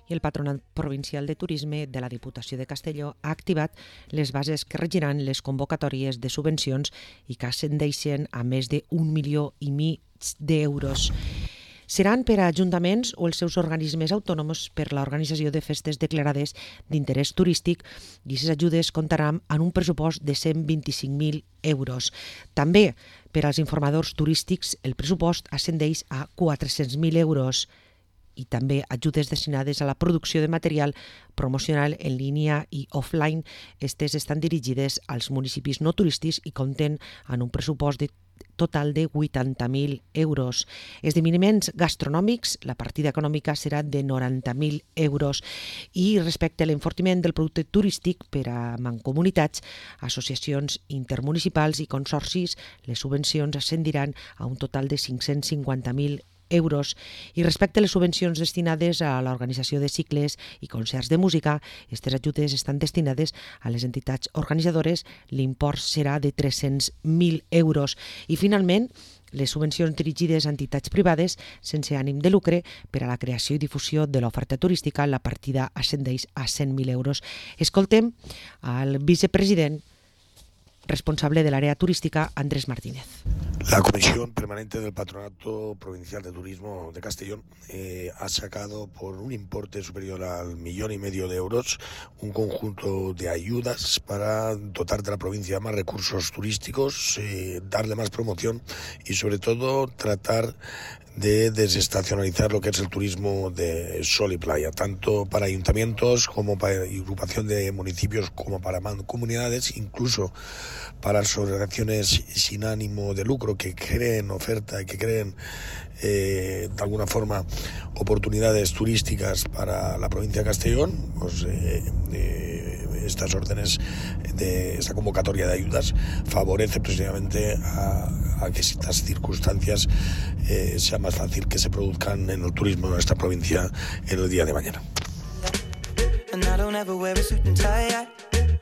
I el Patronat Provincial de Turisme de la Diputació de Castelló ha activat les bases que regiran les convocatòries de subvencions i que ascendeixen a més de 1,5 milions d'euros. Seran per a ajuntaments o els seus organismes autònoms per l'organització de festes declarades d'interès turístic i aquestes ajudes comptaran amb un pressupost de 125.000 euros. També per als informadors turístics el pressupost ascendeix a 400.000 euros i també ajudes destinades a la producció de material promocional en línia i offline. Estes estan dirigides als municipis no turístics i compten amb un pressupost total de 80.000 euros. Esdeveniments gastronòmics, la partida econòmica serà de 90.000 euros. I respecte a l'enfortiment del producte turístic per a mancomunitats, associacions intermunicipals i consorcis, les subvencions ascendiran a un total de 550.000 euros. I respecte a les subvencions destinades a l'organització de cicles i concerts de música, aquestes ajudes estan destinades a les entitats organitzadores, l'import serà de 300.000 euros. I finalment, les subvencions dirigides a entitats privades sense ànim de lucre per a la creació i difusió de l'oferta turística, la partida ascendeix a 100.000 euros. Escoltem al vicepresident responsable del área turística, Andrés Martínez. La Comisión Permanente del Patronato Provincial de Turismo de Castellón ha sacado por un importe superior al 1,5 millones de euros un conjunto de ayudas para dotar de la provincia más recursos turísticos, darle más promoción y sobre todo tratar de desestacionalizar lo que es el turismo de sol y playa, tanto para ayuntamientos como para agrupación de municipios como para mancomunidades, incluso para asociaciones sin ánimo de lucro que creen oferta y que creen de alguna forma oportunidades turísticas para la provincia de Castellón. Pues, estas órdenes de esta convocatoria de ayudas favorece precisamente a que estas circunstancias sea más fácil que se produzcan en el turismo de nuestra provincia en el día de mañana.